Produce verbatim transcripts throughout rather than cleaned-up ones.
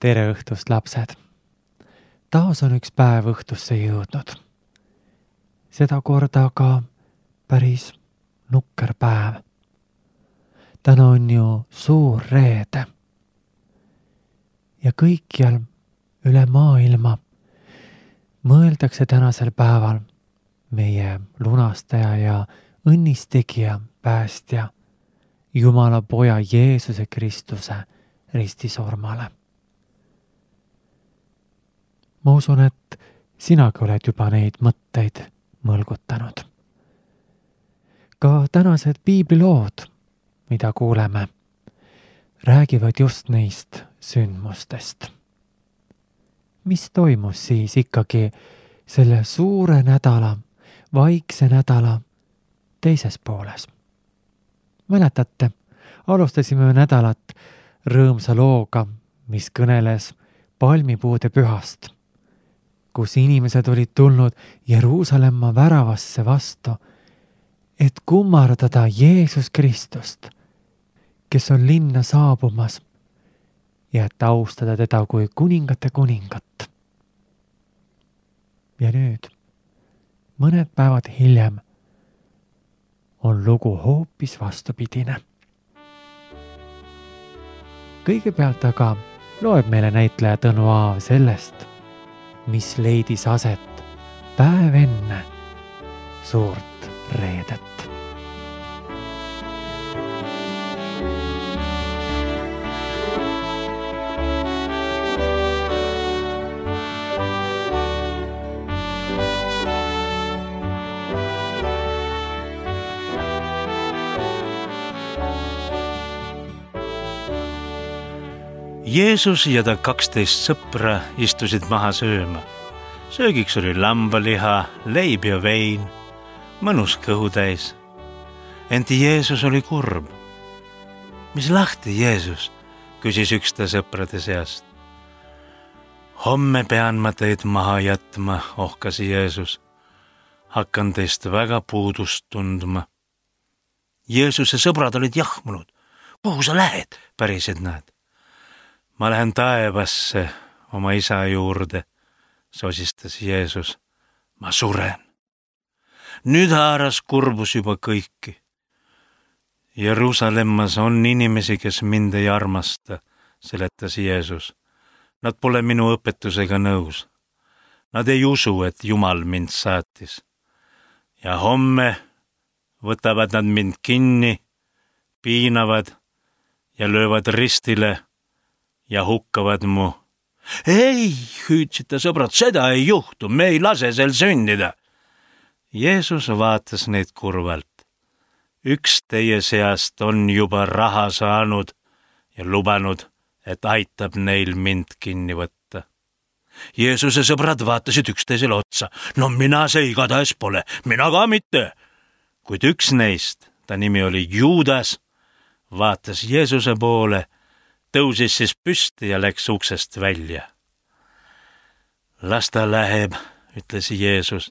Tere õhtust, lapsed! Taas on üks päev õhtusse jõudnud. Seda korda aga päris nukker päev. Täna on ju suur reede. Ja kõikjal üle maailma mõeldakse tänasel päeval meie lunastaja ja õnnistegija, päästja, Jumala poja Jeesuse Kristuse ristisurmale. Ma usun, et sinagi oled juba neid mõtteid mõlgutanud. Ka tänased piiblilood, mida kuuleme, räägivad just neist sündmustest. Mis toimus siis ikkagi selle suure nädala, vaikse nädala teises pooles? Mäletate, alustasime nädalat rõõmsa looga, mis kõneles palmipuude pühast, kus inimesed olid tulnud Jeruusalemma väravasse vastu, et kummardada Jeesus Kristust, kes on linna saabumas, ja et austada teda kui kuningate kuningat. Ja nüüd, mõned päevad hiljem, on lugu hoopis vastupidine. Kõigepealt aga loeb meile näitleja Tõnu Aav sellest, mis leidis aset päev enne suurt reedet. Jeesus ja ta kaksteist sõpra istusid maha sööma. Söögiks oli lambaliha, leib ja vein, mõnus kõhutäis. Ent Jeesus oli kurb. Mis lahti, Jeesus, küsis üks ta sõprade seast. Homme pean ma teid maha jätma, ohkas Jeesus. Hakkan teist väga puudust tundma. Jeesuse sõbrad olid jahmunud. Kuhu sa lähed, pärisid nad? Ma lähen taevasse oma isa juurde, sosistas Jeesus. Ma suren. Nüüd haaras kurbus juba kõiki. Jeruusalemmas on inimesi, kes mind ei armasta, seletas Jeesus. Nad pole minu õpetusega nõus. Nad ei usu, et Jumal mind saatis. Ja homme võtavad nad mind kinni, piinavad ja löövad ristile ja hukkavad mu. Ei, hüüdsid ta sõbrad, seda ei juhtu, me ei lase sel sündida. Jeesus vaatas neid kurvalt. Üks teie seast on juba raha saanud ja lubanud, et aitab neil mind kinni võtta. Jeesuse sõbrad vaatasid üksteisele otsa. No mina see igatahes pole, mina ka mitte. Kuid üks neist, ta nimi oli Juudas, vaatas Jeesuse poole, tõusis siis püsti ja läks uksest välja. Las ta läheb, ütles Jeesus.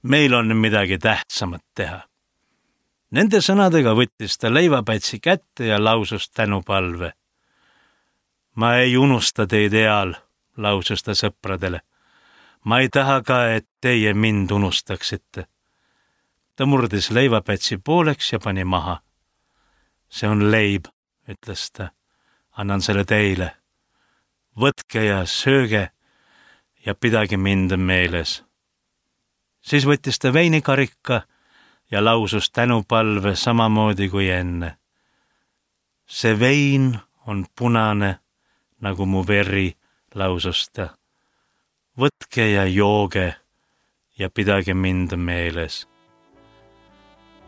Meil on midagi tähtsamat teha. Nende sõnadega võttis ta leivapätsi kätte ja lausus tänupalve. Ma ei unusta teid eal, lausus ta sõpradele. Ma ei taha ka, et teie mind unustaksite. Ta murdis leivapätsi pooleks ja pani maha. See on leib, ütles ta. Annan selle teile. Võtke ja sööge ja pidage mind meeles. Siis võttis ta veinikarika ja lausus tänupalve samamoodi kui enne. See vein on punane, nagu mu veri, lausus ta. Võtke ja jooge ja pidage mind meeles.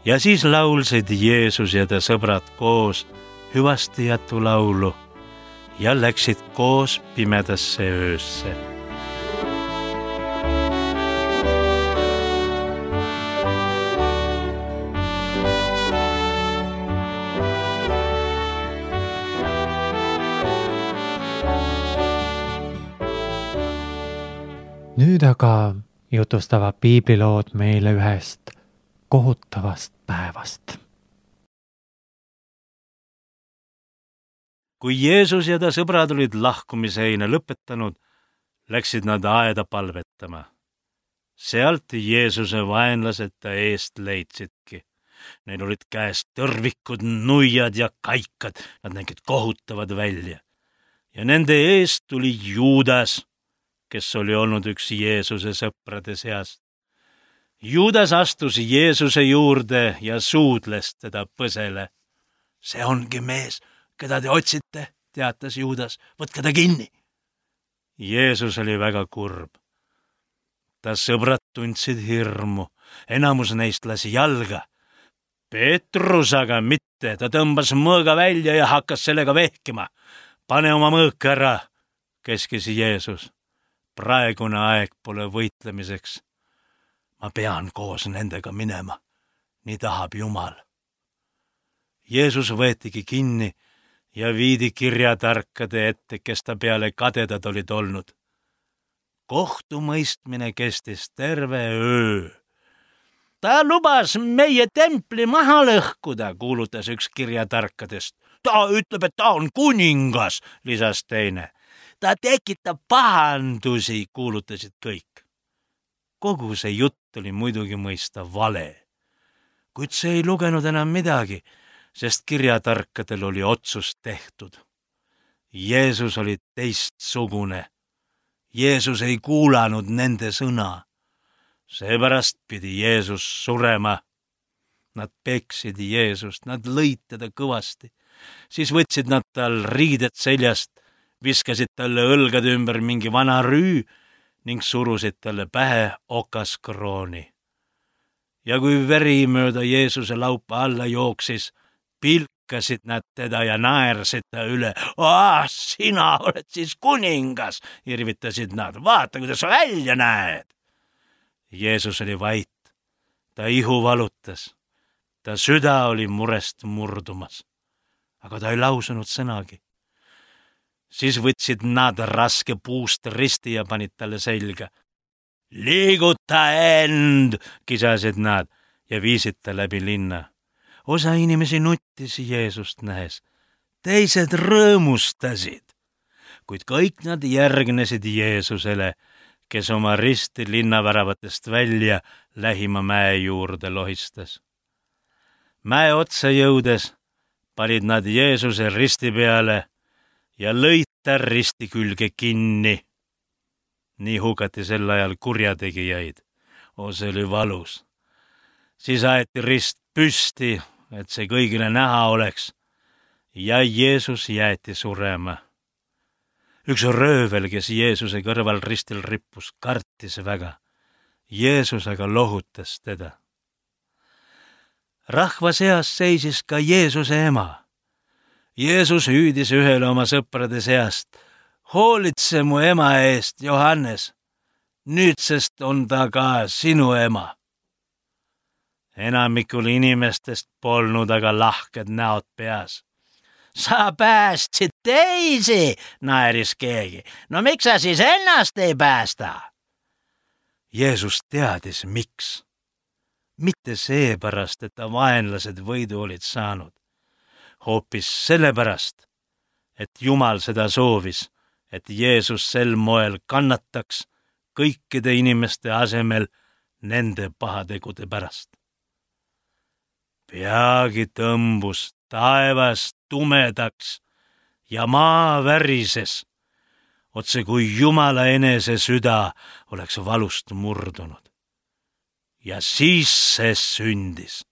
Ja siis laulsid Jeesus ja ta sõbrad koos hüvasti jätu laulu ja läksid koos pimedasse öösse. Nüüd aga jutustavad piiblilood meile ühest kohutavast päevast. kui Jeesus ja ta sõbrad olid lahkumisheina lõpetanud, läksid nad aeda palvetama. Sealt Jeesuse vaenlased ta eest leidsidki. Neil olid käes tõrvikud, nuiad ja kaikad, nad nägid kohutavad välja. Ja nende eest tuli Juudas, kes oli olnud üks Jeesuse sõprade seast. Juudas astus Jeesuse juurde ja suudles teda põsele. See ongi mees, keda te otsite, teatas Juudas, võtke ta kinni. Jeesus oli väga kurb. Ta sõbrad tundsid hirmu, enamus neist lasi jalga. Peetrus aga mitte, ta tõmbas mõõga välja ja hakkas sellega vehkima. Pane oma mõõk ära, keskis Jeesus. Praegune aeg pole võitlemiseks. Ma pean koos nendega minema, nii tahab Jumal. Jeesus võetigi kinni ja viidi kirjatarkade ette, kes ta peale kadedad olid olnud. Kohtumõistmine kestis terve öö. Ta lubas meie templi maha lõhkuda, kuulutas üks kirjatarkadest. Ta ütleb, et ta on kuningas, lisas teine. Ta tekitab pahandusi, kuulutasid kõik. Kogu see jutt oli muidugi mõista vale. Kuid see ei lugenud enam midagi, sest kirjatarkadel oli otsus tehtud. Jeesus oli teistsugune. Jeesus ei kuulanud nende sõna. Seepärast pidi Jeesus surema. Nad peksid Jeesust, nad lõid teda kõvasti. Siis võtsid nad tal riided seljast, viskasid talle õlgade ümber mingi vana rüü ning surusid talle pähe okaskrooni. Ja kui veri mööda Jeesuse laupa alla jooksis, pilkasid nad teda ja naersid ta üle. Ah, sina oled siis kuningas, irvitasid nad. Vaata, kuidas sa välja näed. Jeesus oli vait. Ta ihu valutas. Ta süda oli murest murdumas. Aga ta ei lausunud sõnagi. Siis võtsid nad raske puust risti ja panid talle selga. Liiguta end, kisasid nad ja viisid ta läbi linna. Osa inimesi nuttis Jeesust nähes. Teised rõõmustasid. Kuid kõik nad järgnesid Jeesusele, kes oma risti linnaväravatest välja lähima mäe juurde lohistas. Mäe otsa jõudes panid nad Jeesuse risti peale ja lõid ta risti külge kinni. Nii hukati sel ajal kurjategijaid. O, see oli valus. Siis aeti rist püsti, et see kõigile näha oleks, ja Jeesus jäeti surema. Üks röövel, kes Jeesuse kõrval ristil rippus, kartis väga. Jeesus aga lohutas teda. Rahva seas seisis ka Jeesuse ema. Jeesus hüüdis ühele oma sõprade seast. Hoolitse mu ema eest, Johannes. Nüüdsest on ta ka sinu ema. Enamikul inimestest polnud aga lahked näod peas. Sa päästsid teisi, naeris keegi. No miks sa siis ennast ei päästa? Jeesus teadis, miks. Mitte seepärast, et ta vaenlased võidu olid saanud. Hoopis sellepärast, et Jumal seda soovis, et Jeesus sel moel kannataks kõikide inimeste asemel nende pahategude pärast. Peagi tõmbus taevas tumedaks ja maa värises, otse kui Jumala enese süda oleks valust murdunud. Ja siis see sündis.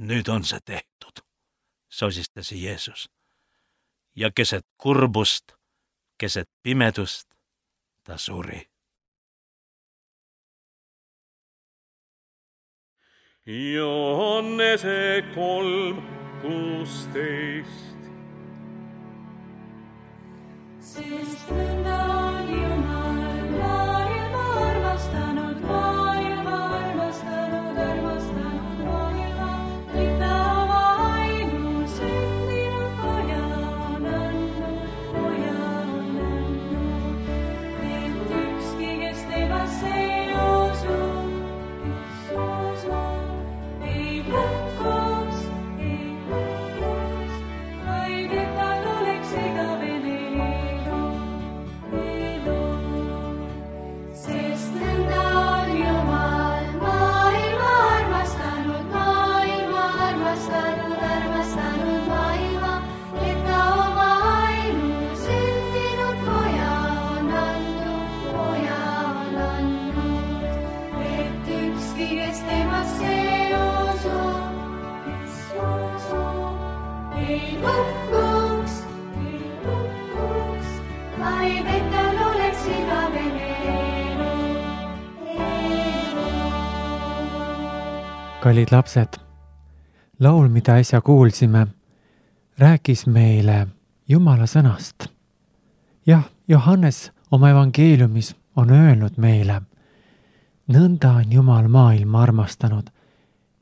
Nüüd on see tehtud, sosistas Jeesus. Ja keset kurbust, keset pimedust ta suri. Johannese kolm kuusteist. Sest nõnda on Jumal maailma armastanud, maailma armastanud, armastanud maailma, et ta oma ainusündinud poja on andnud, poja on andnud, et ükski, kes temasse ei usu, kes usub, ei hukkuks, ei hukkuks, vaid kallid lapsed, laul, mida äsja kuulsime, rääkis meile Jumala sõnast. Jah, Johannes oma evangeeliumis on öelnud meile, nõnda on Jumal maailma armastanud,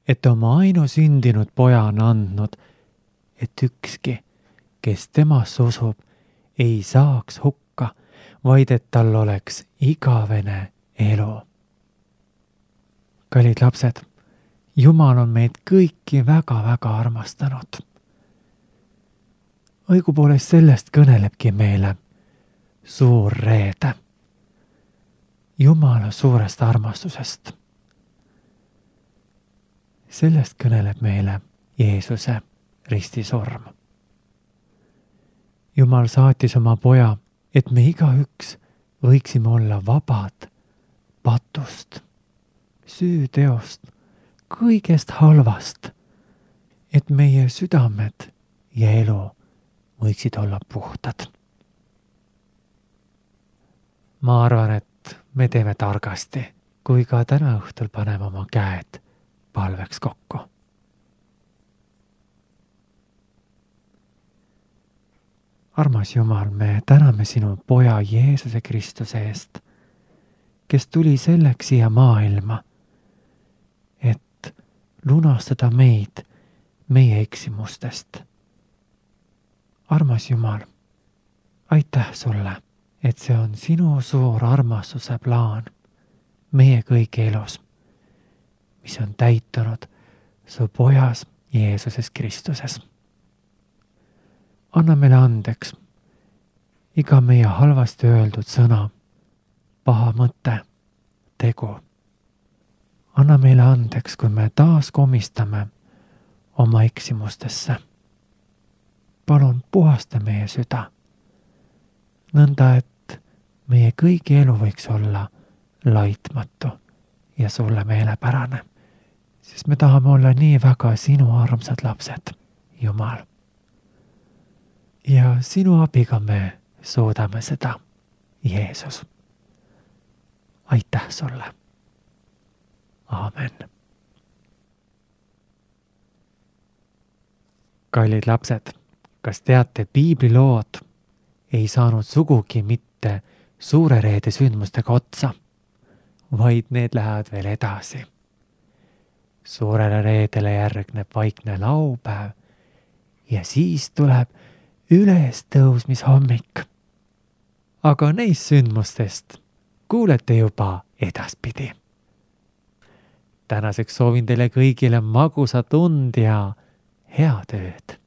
et oma ainusündinud poja on andnud, et ükski, kes temasse usub, ei saaks hukka, vaid et tal oleks igavene elu. Kallid lapsed, Jumal on meid kõiki väga-väga armastanud. Õigupoolest sellest kõnelebki meile suur reede. Jumala suurest armastusest. Sellest kõneleb meile Jeesuse ristisurm. Jumal saatis oma poja, et me igaüks võiksime olla vabad patust, süüteost, kõigest halvast, et meie südamed ja elu võiksid olla puhtad. Ma arvan, et me teeme targasti, kui ka täna õhtul paneme oma käed palveks kokku. Armas Jumal, me täname sinu poja Jeesuse Kristuse eest, kes tuli selleks siia maailma, et lunastada meid meie eksimustest. Armas Jumal, aitäh sulle, et see on sinu suur armastuse plaan meie kõigi elus, mis on täitunud su pojas Jeesuses Kristuses. Anna meile andeks iga meie halvasti öeldud sõna, paha mõte, tegu. Anna meile andeks, kui me taas komistame oma eksimustesse. Palun puhasta meie süda, nõnda et meie kõigi elu võiks olla laitmatu ja sulle meelepärane, sest me tahame olla nii väga sinu armsad lapsed, Jumal. Ja sinu abiga me suudame seda, Jeesus. Aitäh sulle. Aamen. Kallid lapsed, kas teate, piiblilood ei saanud sugugi mitte suure reede sündmustega otsa, vaid need lähevad veel edasi. Suurele reedele järgneb vaikne laupäev ja siis tuleb ülestõusmishommik. Aga neist sündmustest kuulete juba edaspidi. Tänaseks soovin teile kõigile magusat und ja head ööd.